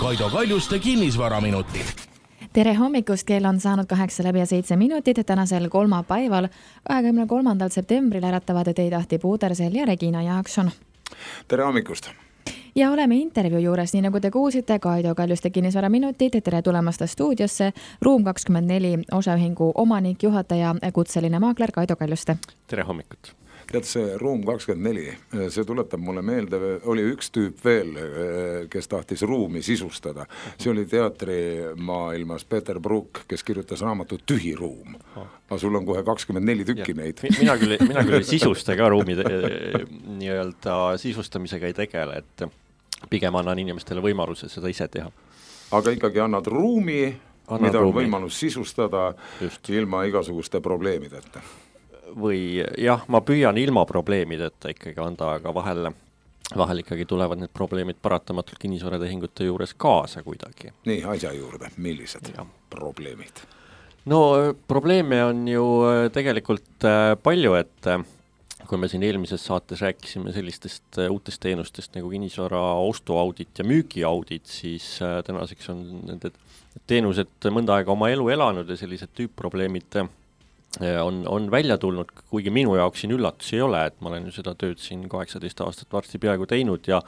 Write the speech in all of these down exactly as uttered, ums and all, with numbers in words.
Kaido Kaljuste kinnisvaraminutid. Tere hommikust, kell on saanud kaheksa läbi ja seitse minutit. Tänasel kolmapäeval, kahekümne kolmandal septembril äratavad teid Ahti Puudersel ja Regina Jaakson. Tere hommikust! Ja oleme intervjuu juures, nii nagu te kuulsite, Kaido Kaljuste kinnisvaraminutid. Tere tulemast stuudiosse. Ruum kakskümmend neli osaühingu omanik, juhataja, kutseline maakler Kaido Kaljuste. Tere hommikut! Tead, see Ruum kakskümmend neli, see tuletab mulle meelde, oli üks tüüp veel, kes tahtis ruumi sisustada. See oli teatrimaailmas Peter Brook, kes kirjutas raamatut Tühi ruum. Aga sul on kohe kakskümmend neli tükki ja neid. Mina küll, mina küll sisusta ka ruumi nii-öelda sisustamisega ei tegele, et pigem annan inimestele võimaluse seda ise teha. Aga ikkagi annad ruumi, annad mida on ruumi. Võimalus sisustada Just. ilma igasuguste probleemideta. Või jah, ma püüan ilma probleemideta ikkagi anda, aga vahel, vahel ikkagi tulevad need probleemid paratamatult kinnisvaratehingute juures kaasa kuidagi. Nii, asja juurde, millised ja. probleemid? No probleeme on ju tegelikult palju, et kui me siin eelmises saates rääkisime sellistest uutest teenustest nagu kinnisvara ostuaudit ja müügiaudit, siis tänaseks on need teenused mõnda aega oma elu elanud ja sellised tüüpprobleemid on, on välja tulnud, kuigi minu jaoks siin üllatus ei ole, et ma olen ju seda tööd siin kaheksateist aastat varsti peaaegu teinud ja,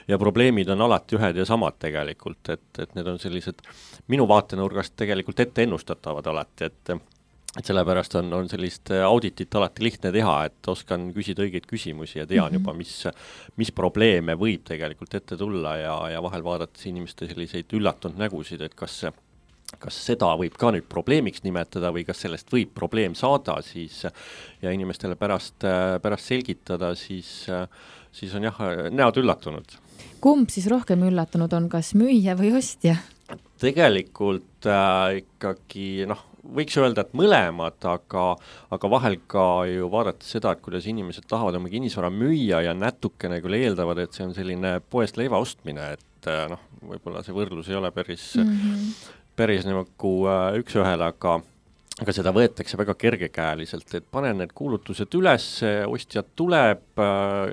ja probleemid on alati ühed ja samad tegelikult, et, et need on sellised minu vaatenurgast tegelikult ette ennustatavad alati, et, et sellepärast on, on sellist auditit alati lihtne teha, et oskan küsida õigeid küsimusi ja tean mm-hmm. juba, mis, mis probleeme võib tegelikult ette tulla ja, ja vahel vaadates inimeste selliseid üllatunud nägusid, et kas see kas seda võib ka nüüd probleemiks nimetada või kas sellest võib probleem saada siis ja inimestele pärast, pärast selgitada, siis, siis on jah, näod üllatunud. Kumb siis rohkem üllatunud on, kas müüja või ostja? Tegelikult äh, ikkagi, noh, võiks öelda, et mõlemad, aga, aga vahel ka ju vaadata seda, et kuidas inimesed tahavad oma kinnisvara müüa ja natukene küll eeldavad, et see on selline poest leiva ostmine, et noh, võib-olla see võrdlus ei ole päris mm-hmm. päris nagu üks ühele, aga, aga seda võetakse väga kergekäeliselt, et panen need kuulutused üles, ostjad tuleb,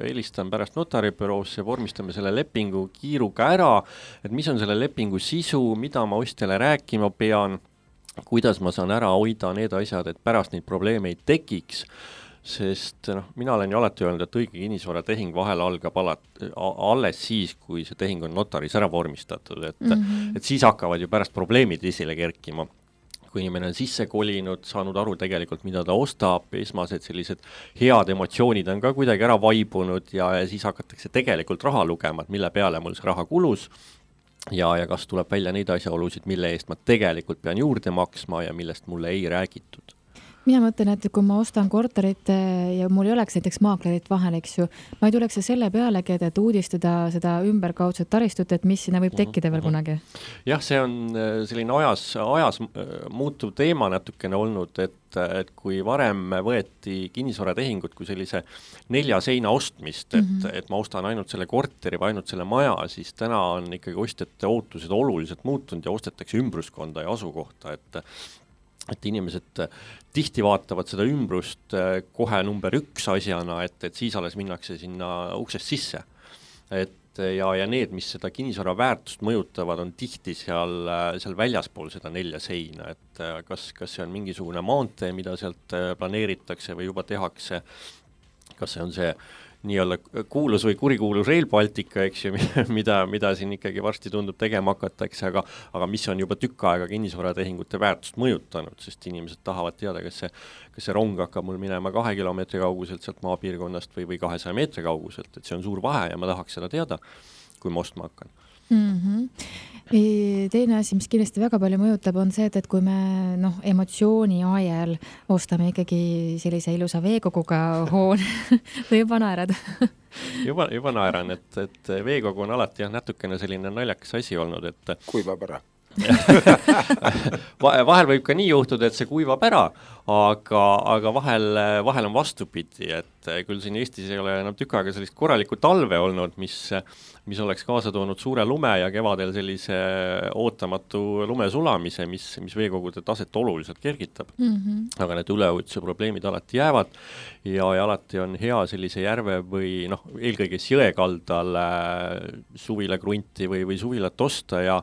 helistan pärast notaribüroosse, vormistame selle lepingu kiiruga ära, et mis on selle lepingu sisu, mida ma ostjale rääkima pean, kuidas ma saan ära hoida need asjad, et pärast neid probleeme ei tekiks, sest noh, mina olen ju alati öelnud, et õige kinnisvaratehing vahel algab alat, alles siis, kui see tehing on notaris ära vormistatud, et, mm-hmm. et siis hakkavad ju pärast probleemid esile kerkima. Kui inimene on sisse kolinud, saanud aru tegelikult, mida ta ostab, esmased sellised head emotsioonid on ka kuidagi ära vaibunud ja, ja siis hakatakse tegelikult raha lugema, et mille peale mul see raha kulus ja, ja kas tuleb välja neid asjaolusid, mille eest ma tegelikult pean juurde maksma ja millest mulle ei räägitud. Mina mõtlen, et kui ma ostan korterit ja mul ei oleks näiteks maaklerit vahel, eks ju, ma ei tuleks selle pealegi, et uudistada seda ümberkaudset taristut, et mis sinna võib tekkida veel kunagi. Jah, see on selline ajas, ajas muutuv teema natukene olnud, et, et kui varem võeti kinnisvaratehingut kui sellise nelja seina ostmist, et, mm-hmm. et ma ostan ainult selle korteri või ainult selle maja, siis täna on ikkagi ostjate ootused oluliselt muutunud ja ostetakse ümbruskonda ja asukohta, et et inimesed tihti vaatavad seda ümbrust kohe number üks asjana, et, et siis alles minnakse sinna uksest sisse. Et ja, ja need, mis seda kinnisvara väärtust mõjutavad, on tihti seal, seal väljaspool seda nelja seina, et kas, kas see on mingisugune maantee, mida sealt planeeritakse või juba tehakse, kas see on see nii-olla kuulus või kurikuulus Rail Baltica, eks ju, mida, mida siin ikkagi varsti tundub tegema hakatakse, aga, aga mis on juba tükk aega kinnisvaratehingute väärtust mõjutanud, sest inimesed tahavad teada, kas see, kas see rong hakkab mul minema kahe kilomeetri kauguselt sealt maapiirkonnast või, või kahesaja meetri kauguselt, et see on suur vahe ja ma tahaks seda teada, kui ma ostma hakkan. Mm-hmm. Teine asi, mis kindlasti väga palju mõjutab, on see, et, et kui me noh, emotsiooni ajal ostame ikkagi sellise ilusa veekoguga hoone või juba naerad? juba, juba naeran, et, et veekogu on alati jah, natukene selline naljakas asi olnud, et kuivab ära. Vahel võib ka nii juhtuda, et see kuivab ära, aga, aga vahel, vahel on vastupidi, et küll siin Eestis ei ole enam tükk aega sellist korralikku talve olnud, mis, mis oleks kaasa toonud suure lume ja kevadel sellise ootamatu lume sulamise, mis, mis veekogude taset oluliselt kergitab. Mm-hmm. Aga need üleujutuse probleemid alati jäävad ja, ja alati on hea sellise järve või noh, eelkõige jõekaldal suvila krunti või, või suvilat osta ja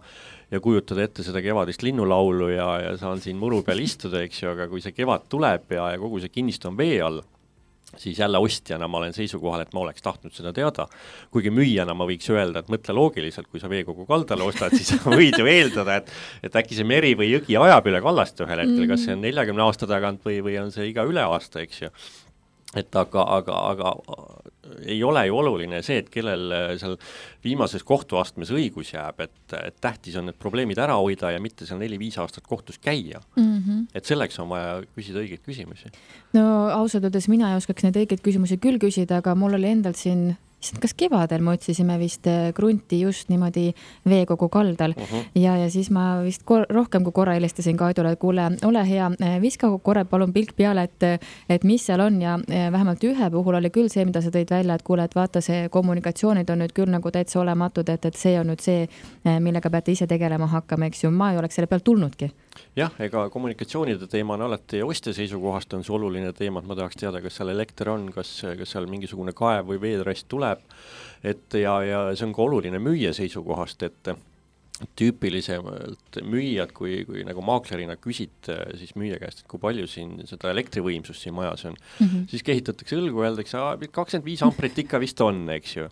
ja kujutada ette seda kevadist linnulaulu ja, ja saan siin muru peal istuda, eks ju, aga kui see kevad tuleb ja, ja kogu see kinnistu on vee all, siis jälle ostjana ma olen seisukohal, et ma oleks tahtnud seda teada. Kuigi müüjana ma võiks öelda, et mõtle loogiliselt, kui sa veekogu kaldale ostad, siis võid ju eeldada, et, et äkki see meri või jõgi ajab üle kallast ühel hetkel, kas see on neljakümne aasta tagant või, või on see iga üle aasta, eks ju. Et aga, aga, aga ei ole ju oluline see, et kellel seal viimases kohtuastmes õigus jääb, et, et tähtis on need probleemid ära hoida ja mitte seal neli-viis aastat kohtus käia. Mm-hmm. Et selleks on vaja küsida õigeid küsimusi. No ausalt öeldes mina ei oskaks neid õigeid küsimusi küll küsida, aga mul oli endalt siin kas kevadel me otsisime vist krunti just niimoodi veekogu kaldal uh-huh. ja, ja siis ma vist kor- rohkem kui korra helistasin Kaidule, et kuule, ole hea, viska korra palun pilk peale, et, et mis seal on ja vähemalt ühe puhul oli küll see, mida sa tõid välja, et kuule, et vaata, see kommunikatsioonid on nüüd küll nagu täitsa olematud, et, et see on nüüd see, millega peate ise tegelema hakkama, eks ju, ma ei oleks selle pealt tulnudki. Jah, ega kommunikatsioonide teema on alati ostja seisukohast on see oluline teema, et ma tahaks teada, kas seal elekter on, kas, kas seal mingisugune kaev või veetrest tuleb, et ja, ja see on ka oluline müüja seisukohast, et tüüpilisemalt müüjad, kui, kui nagu maaklerina küsid siis müüja käest, et kui palju siin seda elektrivõimsust siin majas on, mm-hmm. siis kehitatakse õlgu, öeldakse, kakskümmend viis amprit ikka vist on, eks ju.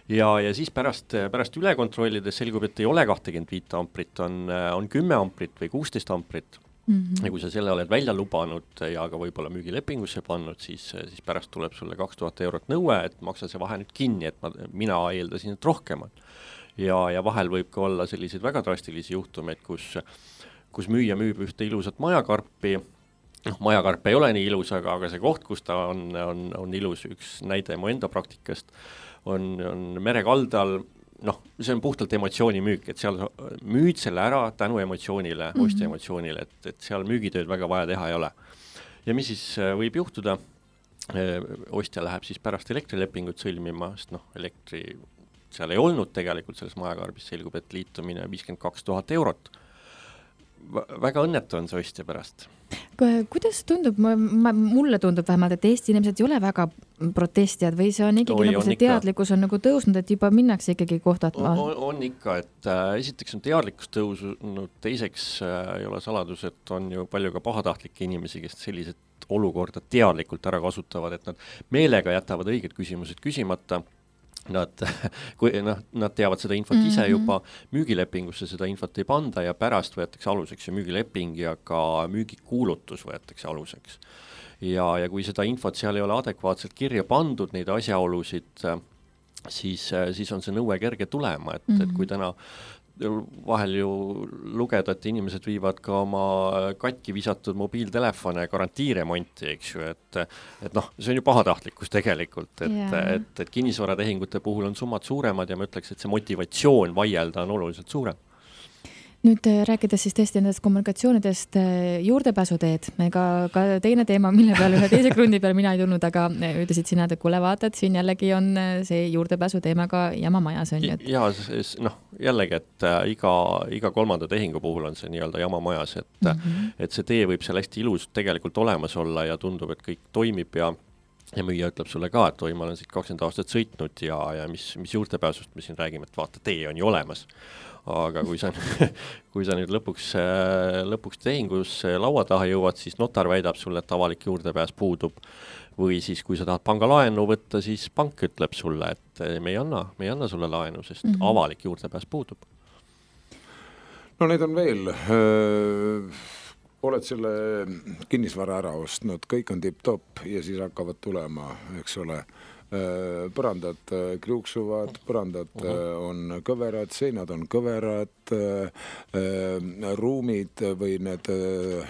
Ja, ja siis pärast, pärast üle kontrollides selgub, et ei ole kakskümmend viis amprit, on, on kümme amprit või kuusteist amprit. Mm-hmm. Ja kui sa selle oled välja lubanud ja ka võib-olla müügilepingusse pannud, siis, siis pärast tuleb sulle kaks tuhat eurot nõue, et maksa see vahe nüüd kinni, et ma, mina eeldasin, et rohkemat. Ja, ja vahel võib ka olla selliseid väga drastilisi juhtumeid, kus, kus müüja müüb ühte ilusat majakarpi, noh, majakarp ei ole nii ilus, aga, aga see koht, kus ta on, on, on ilus, üks näide mu enda praktikast, on, on merekaldal, noh, see on puhtalt emotsioonimüük, et seal müüd selle ära tänu emotsioonile, mm-hmm. ostja emotsioonile, et, et seal müügitööd väga vaja teha ei ole. Ja mis siis võib juhtuda, ostja läheb siis pärast elektrilepingut sõlmima, sest noh, elektri seal ei olnud tegelikult selles majakarbis, selgub, et liitumine viiskümmend kaks tuhat eurot. Väga õnnetu on see ostja pärast. Kuidas tundub, ma, ma, mulle tundub vähemalt, et Eesti inimesed ei ole väga protestijad või see on ikkagi Oi, nagu on see ikka. Teadlikkus on nagu tõusnud, et juba minnakse ikkagi kohtatma? On, on ikka, et äh, esiteks on teadlikkus tõusnud, teiseks äh, ei ole saladus, et on ju palju ka pahatahtlikke inimesi, kes sellised olukorda teadlikult ära kasutavad, et nad meelega jätavad õiged küsimused küsimata. Nad, kui, noh, nad teavad seda infot ise mm-hmm. juba, müügilepingusse seda infot ei panda ja pärast võetakse aluseks ja müügileping ja ka müügikuulutus võetakse aluseks. Ja, ja kui seda infot seal ei ole adekvaatselt kirja pandud, neid asjaolusid, siis, siis on see nõue kerge tulema, et, mm-hmm. et kui täna vahel ju lugeda, et inimesed viivad ka oma katki visatud mobiiltelefone garantiiremonti, eks ju, et, et noh, see on ju pahatahtlikkus tegelikult, et, yeah. et, et kinnisvaratehingute puhul on summad suuremad ja ma ütleks, et see motivatsioon vaielda on oluliselt suurem. Nüüd rääkides siis tõesti nendest kommunikatsioonidest juurdepääsuteed, ega ka teine teema, mille peal ühe teise krundi peal mina ei tulnud, aga ütlesid sina, et kuule vaatad, siin jällegi on see juurdepääsu teemaga jamamajas on ju. Et... Ja, noh, jällegi, et iga, iga kolmanda tehingu puhul on see nii-öelda jamamajas, et, mm-hmm. et see tee võib seal hästi ilus tegelikult olemas olla ja tundub, et kõik toimib ja ja müüja ütleb sulle ka, et oi, ma olen siit kakskümmend aastat sõitnud ja, ja mis, mis juurdepääsust me siin räägime, et vaata, tee on ju olemas. Aga kui sa, kui sa nüüd lõpuks, lõpuks tehingus laua taha jõuad, siis notar väidab sulle, et avalik juurdepääs puudub. Või siis, kui sa tahad panga laenu võtta, siis pank ütleb sulle, et me ei anna, me ei anna sulle laenu, sest mm-hmm. avalik juurdepääs puudub. No neid on veel. Öö, oled selle kinnisvara ära ostnud, kõik on tipp-top ja siis hakkavad tulema, eks ole, põrandad kriuksuvad, põrandad on kõverad, seinad on kõverad, ruumid või need,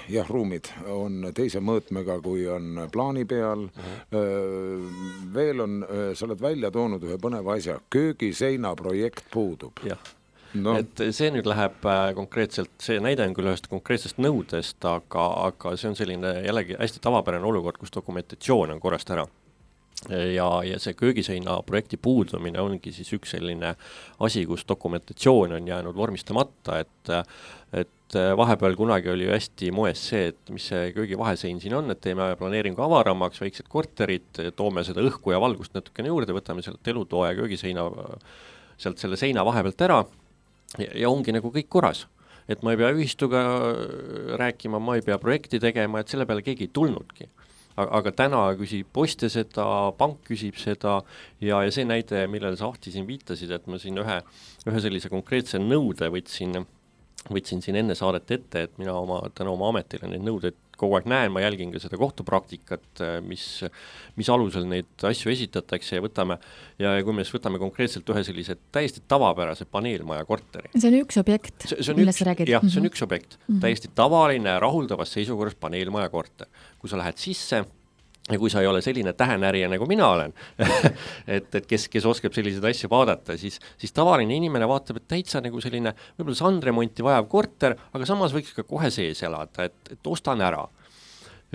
jah, ruumid on teise mõõtmega, kui on plaani peal. Veel on, sa oled välja toonud ühe põneva asja, köögiseina projekt puudub. Jah. no. et see nüüd läheb konkreetselt, see näide on küll ühest konkreetsest nõudest, aga, aga see on selline jällegi hästi tavapärane olukord, kus dokumentatsioon on korrast ära. Ja, ja see köögiseina projekti puudumine ongi siis üks selline asi, kus dokumentatsioon on jäänud vormistamata, et, et vahepeal kunagi oli ju hästi moes see, et mis see köögivahesein siin on, et teeme planeeringu avaramaks, väiksed korterid, toome seda õhku ja valgust natukene juurde, võtame sealt elutoa ja köögiseina sealt selle seina vahepealt ära ja, ja ongi nagu kõik korras. Et ma ei pea ühistuga rääkima, ma ei pea projekti tegema, et selle peale keegi ei tulnudki. Aga täna küsib poste seda, pank küsib seda ja, ja see näide, millele sa Ahti siin viitasid, et ma siin ühe, ühe sellise konkreetse nõude võtsin, võtsin siin enne saadet ette, et mina oma, täna oma ametile neid nõudeid kogu aeg näen, ma jälgin ka seda kohtupraktikat, mis, mis alusel neid asju esitatakse ja võtame, ja kui me siis võtame konkreetselt ühe sellise täiesti tavapärase paneelmaja korteri. See on üks objekt, millest sa räägid? Jah, see on üks objekt, mm-hmm. täiesti tavaline, rahuldavas seisukorras paneelmaja korter. Kui sa lähed sisse ja kui sa ei ole selline tähenärija nagu mina olen, et, et kes, kes oskab selliseid asju vaadata, siis, siis tavaline inimene vaatab, et täitsa nagu selline võib-olla sandremonti vajav korter, aga samas võiks ka kohe sees elada, et, et ostan ära.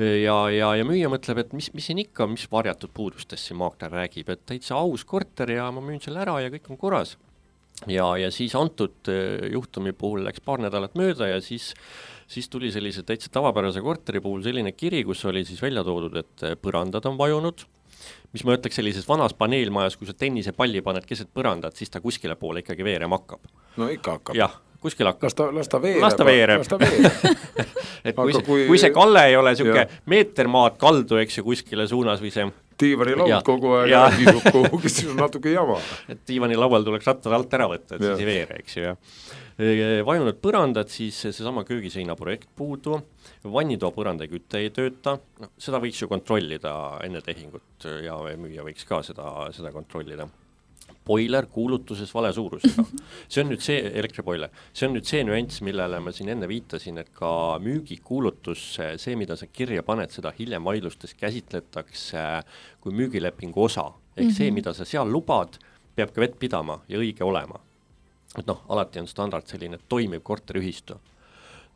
Ja, ja, ja müüja mõtleb, et mis, mis siin ikka, mis varjatud puudustest siin maakler räägib, et täitsa aus korter ja ma müün selle ära ja kõik on korras. Ja, ja siis antud juhtumi puhul läks paar nädalat mööda ja siis siis tuli sellise täitsa tavapärase korteri puhul selline kiri, kus oli siis välja toodud, et põrandad on vajunud, mis ma ütleks sellises vanas paneelmajas, kui sa tennisepalli paned keset põrandat, siis ta kuskile poole ikkagi veerema hakkab. No ikka hakkab. Jah, kuskil hakkab. Las ta, las ta veereb. Las ta veereb. Las ta veereb. et kui, see, kui... kui see kalle ei ole siuke meeter maad kaldu, eks ju, kuskile suunas või see Tiivani laud ja, kogu aeg ja kisub kuhugi, siis on natuke jama. Et Tiivani laual tuleks rattad alt ära võtta, et ja. Siis ei veere, eks ju. Ja. Vajunud põrandad, siis seesama köögiseina projekt puudu, vannitoa põranda kütte ei tööta, no, seda võiks ju kontrollida enne tehingut ja müüja võiks ka seda, seda kontrollida. Boiler kuulutuses vale suurusega. See on nüüd see, elektriboiler, see on nüüd see nüanss, millele ma siin enne viitasin, et ka müügikuulutus, see, mida sa kirja paned, seda hiljem vaidlustes käsitletakse kui müügilepingu osa. Ehk mm-hmm. see, mida sa seal lubad, peab ka vett pidama ja õige olema. Et noh, alati on standard selline toimiv korteriühistu.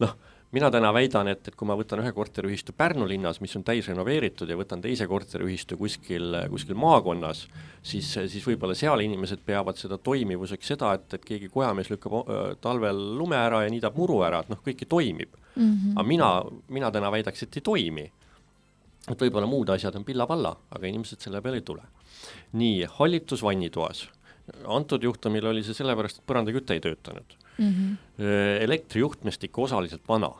Noh, mina täna väidan, et, et kui ma võtan ühe korteriühistu Pärnu linnas, mis on täis renoveeritud ja võtan teise korteriühistu kuskil, kuskil maakonnas, siis, siis võib-olla seal inimesed peavad seda toimivuseks seda, et, et keegi kojamees lükkab talvel lume ära ja niidab muru ära, et noh, kõiki toimib. Mm-hmm. Aga mina, mina täna väidaks, et ei toimi. Et võib-olla muud asjad on pilla-palla, aga inimesed selle peale ei tule. Nii, hallitus vannitoas. Antud juhtumil oli see sellepärast, et põrandakütte ei töötanud. Mm-hmm. Elektrijuhtmestik osaliselt vana.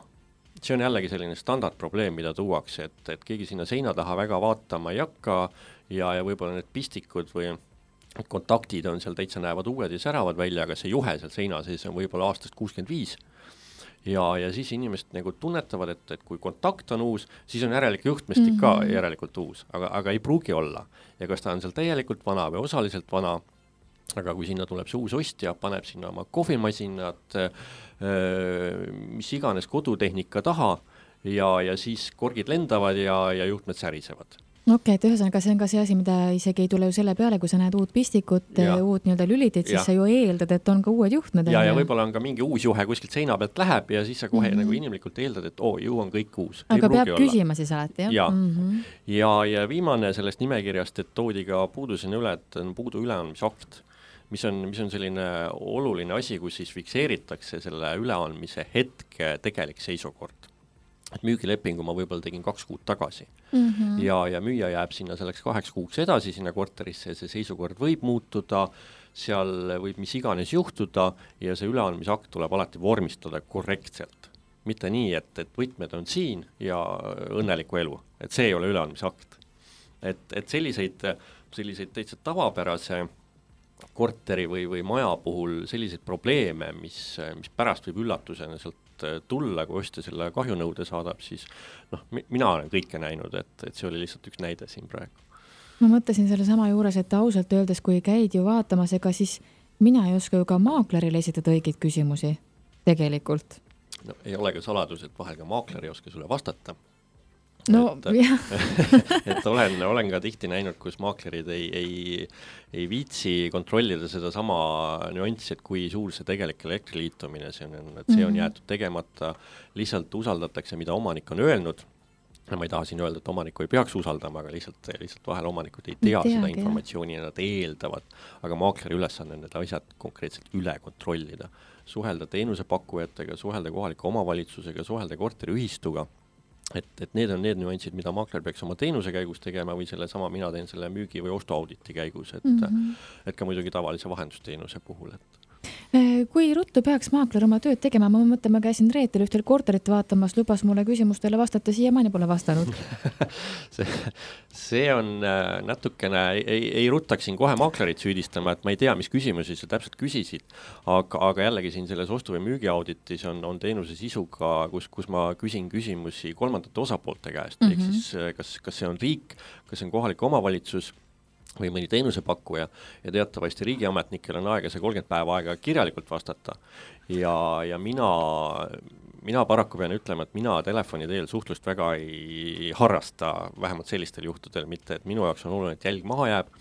See on jällegi selline standardprobleem, mida tuuakse, et, et keegi sinna seina taha väga vaatama ei hakka ja, ja võib-olla need pistikud või kontaktid on seal täitsa näevad uued ja säravad välja, aga see juhe seal seina sees on võib-olla aastast kuuskümmend viis. Ja, ja siis inimesed nagu tunnetavad, et, et kui kontakt on uus, siis on järelikult juhtmestik mm-hmm. ka järelikult uus, aga, aga ei pruugi olla. Ja kas ta on seal täielikult vana või osaliselt vana, aga kui sinna tuleb see uus ostja, paneb sinna oma kohvimasinad, mis iganes kodutehnika taha ja, ja siis korgid lendavad ja, ja juhtmed särisevad. Okei, et ühesõnaga see on ka see asi, mida isegi ei tule ju selle peale, kui sa näed uut pistikut, uut nii-öelda lülitit, siis ja. Sa ju eeldad, et on ka uued juhtmed. Ja, ja võib-olla on ka mingi uus juhe kuskilt seina pealt läheb ja siis sa kohe mm-hmm. nagu inimlikult eeldad, et oo, ju on kõik uus. Aga peab küsima siis alati, jah? Ja. Mm-hmm. ja, ja viimane sellest nimekirjast, et toodi ka puudusena üle, et on puudu üleandmisakt, mis on, mis on selline oluline asi, kus siis fikseeritakse selle üleandmise hetke tegelik seisukord. Et müügilepingu ma võib-olla tegin kaks kuud tagasi mm-hmm. ja, ja müüja jääb sinna selleks kaheks kuuks edasi sinna korterisse ja see seisukord võib muutuda, seal võib mis iganes juhtuda ja see üleandmisakt tuleb alati vormistada korrektselt. Mitte nii, et, et võtmed on siin ja õnneliku elu, et see ei ole üleandmisakt. Et, et selliseid, selliseid täitsa tavapärase korteri või, või maja puhul selliseid probleeme, mis, mis pärast võib üllatusena sealt tulla, kui ostja selle kahjunõude saadab, siis noh, mina olen kõike näinud, et, et see oli lihtsalt üks näide siin praegu. Ma mõtlesin selle sama juures, et ausalt öeldes, kui käid ju vaatamas, ega siis mina ei oska ju ka maaklerile esitada õigeid küsimusi tegelikult. No, ei ole ka saladus, et vahel ka maakler ei oska sulle vastata. no et, jah. et olen, olen ka tihti näinud, kus maaklerid ei, ei, ei viitsi kontrollida seda sama nüanssi, et kui suur see tegelik elektriliitumine see on, et see on jäetud tegemata, lihtsalt usaldatakse, mida omanik on öelnud. No, ma ei taha siin öelda, et omaniku ei peaks usaldama, aga lihtsalt, lihtsalt vahel omanikud ei tea Teagi, seda informatsiooni ja nad eeldavad, aga maakleri ülesanne on need asjad konkreetselt üle kontrollida. Suhelda teenusepakkujatega, suhelda kohaliku omavalitsusega, suhelda korteriühistuga, et, et need on need nüansid, mida maakler peaks oma teenuse käigus tegema või selle sama mina teen selle müügi- või ostuauditi käigus, et, mm-hmm. et ka muidugi tavalise vahendusteenuse puhul, et kui ruttu peaks maakler oma tööd tegema, ma mõtlen, ma käisin Reetel ühtel korterit vaatamas, lubas mulle küsimustele vastata, siiamaani pole vastanud. see, see on natukene, ei, ei ruttaksin kohe maaklerit süüdistama, et ma ei tea, mis küsimusi sa täpselt küsisid, aga, aga jällegi siin selles ostu- või müügiauditis on, on teenuse sisuga, kus, kus ma küsin küsimusi kolmandate osapoolte käest, mm-hmm. ehk siis kas, kas see on riik, kas see on kohalik omavalitsus, või mõni teenusepakkuja ja teatavasti riigiametnikel on aega see kolmkümmend päeva aega kirjalikult vastata ja, ja mina, mina paraku pean ütlema, et mina telefoni teel suhtlust väga ei harrasta, vähemalt sellistel juhtudel, mitte et minu jaoks on oluline, et jälg maha jääb,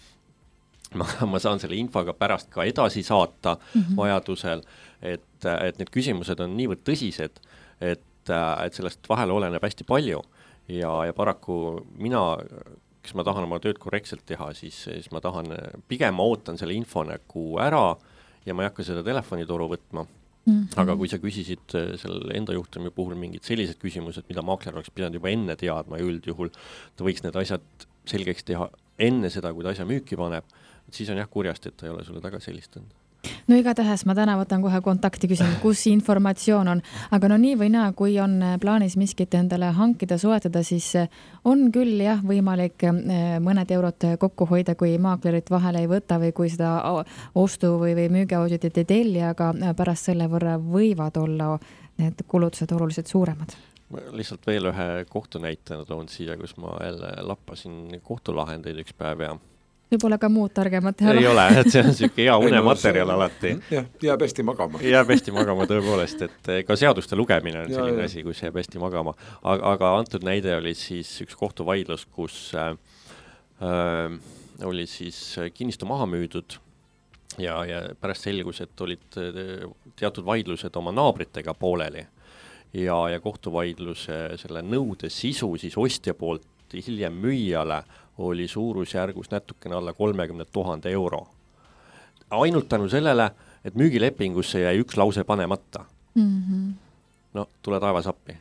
ma, ma saan selle infoga pärast ka edasi saata mm-hmm. vajadusel, et, et need küsimused on niivõrd tõsised, et, et sellest vahel oleneb hästi palju ja, ja paraku mina kes ma tahan oma tööd korrektselt teha, siis, siis ma tahan, pigem ma ootan selle info nagu ära ja ma ei hakka seda telefonitoru võtma. Mm-hmm. Aga kui sa küsisid selle enda juhtumi puhul mingid sellised küsimused, mida maakler oleks pidanud juba enne teadma ja üldjuhul ta võiks need asjad selgeks teha enne seda, kui ta asja müüki paneb, siis on jah kurjast, et ta ei ole sulle taga selistanud. No igatahes ma täna võtan kohe kontakti küsin, kus informatsioon on, aga no nii või naa, kui on plaanis miskit endale hankida, soetada, siis on küll jah võimalik mõned eurot kokku hoida, kui maaklerit vahele ei võta või kui seda ostu või, või müügiauditit ei telli, aga pärast selle võrra võivad olla need kulutused oluliselt suuremad. Ma lihtsalt veel ühe kohtunäitena toon siia, kus ma jälle lappasin kohtulahendeid üks päev ja võib-olla ka muud targemat ei ole, et see on siuke hea unematerjal alati. Jah, jääb hästi magama. Jääb hästi magama tõepoolest, et ka seaduste lugemine on selline ja, asi, kus jääb hästi magama. Aga, aga antud näide oli siis üks kohtuvaidlus, kus äh, oli siis kinnistu maha müüdud ja, ja pärast selgus, et olid teatud vaidlused oma naabritega pooleli ja, ja kohtuvaidluse selle nõude sisu siis ostja poolt hiljem müüjale oli suurusjärgus natukene alla kolmekümne tuhande euro. Ainult tänu sellele, et müügilepingusse jäi üks lause panemata. Mm-hmm. No, tule taevas appi.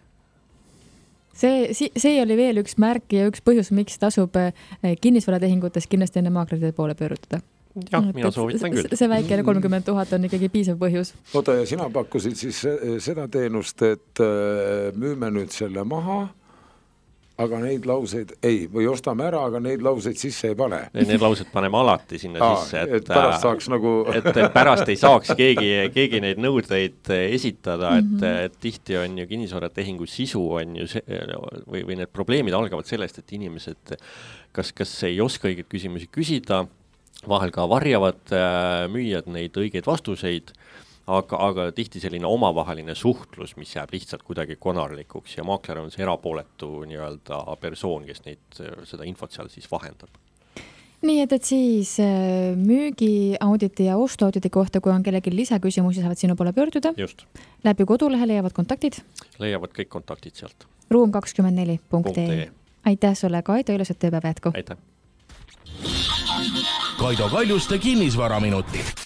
See, see oli veel üks märk ja üks põhjus, miks tasub kinnisvaratehingutes kindlasti enne maaklerite poole pöörutada. Jah, mina soovitan küll. See väikene kolmkümmend tuhat on ikkagi piisav põhjus. Oota, ja sina pakkusid siis seda teenust, et müüme nüüd selle maha, aga neid lauseid ei, või ostame ära, aga neid lauseid sisse ei pane. Need laused paneme alati sinna Aa, sisse, et, et pärast saaks nagu et pärast ei saaks keegi, keegi neid nõudeid esitada, mm-hmm. et, et tihti on ju kinnisvaratehingu sisu on ju see, või, või need probleemid algavad sellest, et inimesed kas, kas ei oska õigeid küsimusi küsida, vahel ka varjavad müüjad neid õigeid vastuseid, Aga, aga tihti selline omavaheline suhtlus, mis jääb lihtsalt kuidagi konarlikuks ja maakler on see erapooletu nii-öelda persoon, kes neid, seda infot seal siis vahendab. Nii et, et siis müügiauditi ja ostuauditi kohta, kui on kellegi lisaküsimusi, saavad sinu poole pöörduda. Just. Läbi kodulehe leiavad kontaktid? Leiavad kõik kontaktid sealt. ruum kakskümmend neli punkt ee. Aitäh sulle, Kaido, ilusat tööpäeva jätku. Aitäh. Kaido Kaljuste kinnisvaraminutid.